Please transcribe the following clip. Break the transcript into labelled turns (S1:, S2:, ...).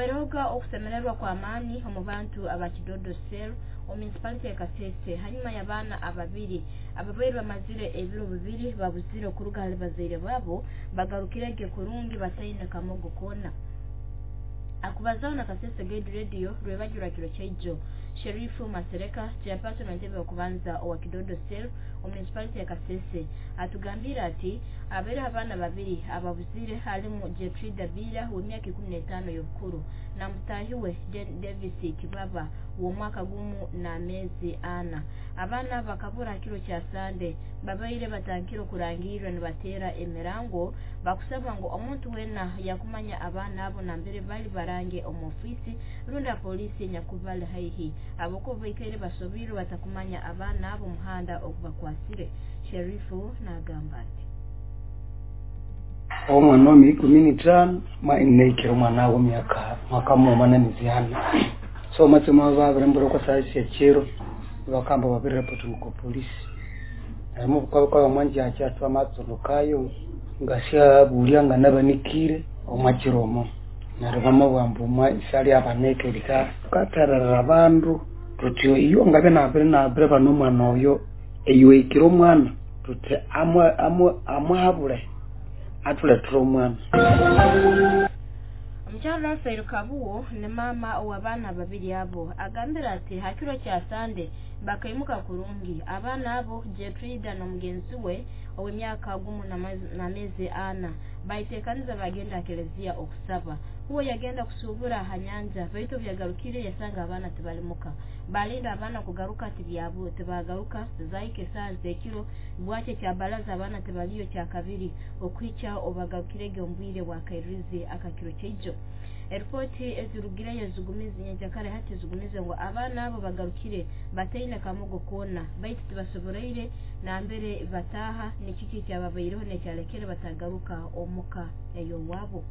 S1: Habairehoga okusemererwa kw'amaani omu bantu aba Kidodo Cell omu municipality ya Kasese hanyuma y'abaana ababiri ababaire bamazire ebiro 2 babuzire okuruga hali bazaire baabo bagarukirege kurungi bataine kamogo koona. Akubazaho na Kasese Guide Radio rwebagyo rwa kiro kyaijo, Sherifu Masereka, chairperson w'entebe y'okubanza owa Kidodo Cell omu municipality ya Kasese, atugambire ati abaireho abaana babiri ababuzire halimu Jetrida Biira w'emyaka 15 y'obukuru na mutaahi we Davis Kibaba w'omwaka 1 n'ameezi 4. Abaana bakabura kiro kya Sande babaire batankire okurangirwa nibateera emirango bakusaba ngu omuntu weena yakumanya abaana abo nambere bali barange omu ofiisi rundi apoliisi enyakubali haihi ahabwokuba baikaire basobiirwe batakumanya abaana abo omuhanda ogubakwasire. Sherifu nagamba ati
S2: omwana wa myaka 15 naikire omwana w'emyaka mwaka mumwe n'emiezi 4. So matsimo babirembura kwa saa syekiro bakamba babiri ko polisi narimo kwa mwanjacha twamatsulukayo ngasya bulia nga nabanikire omwakiromo neryo bamabwamba omwa isali abanekerika tukatererera abandu tuti iyo ngabe nabire nabire bano omwana oyo eyiwekire omwana tuti amwahabule atuletera omwana.
S1: Omukyala Rafael Kabuwo ne maama ow'abaana babiri abo agambira ati hakiro kya Sande bakaimuka kurungi abaana abo Jetrida n'omugenzi we ow'emyaka 1 n'ameezi 4 baiteekaniza bagenda kelezia okusaba. Huwe yagenda kusubura ha nyanja baitu byagarukire yasanga abaana tibalimuka. Balinda abaana kugaruka tibyabo tibagaruka zaike saa zekiro bwakye kya baraza abaana tibaliyo kya kabiri okwicha obagarukirege ombwire bwa kairizi akakiro kyaijo. Eripoti ezirugireyo zigumize nyenjakare hati zigumize ngu abaana abo bagarukire bataine kamogo koona baitu tibasoboreire nambere bataha nikiki kyababaireho nekyalekere batagaruka omuka ey'owabo.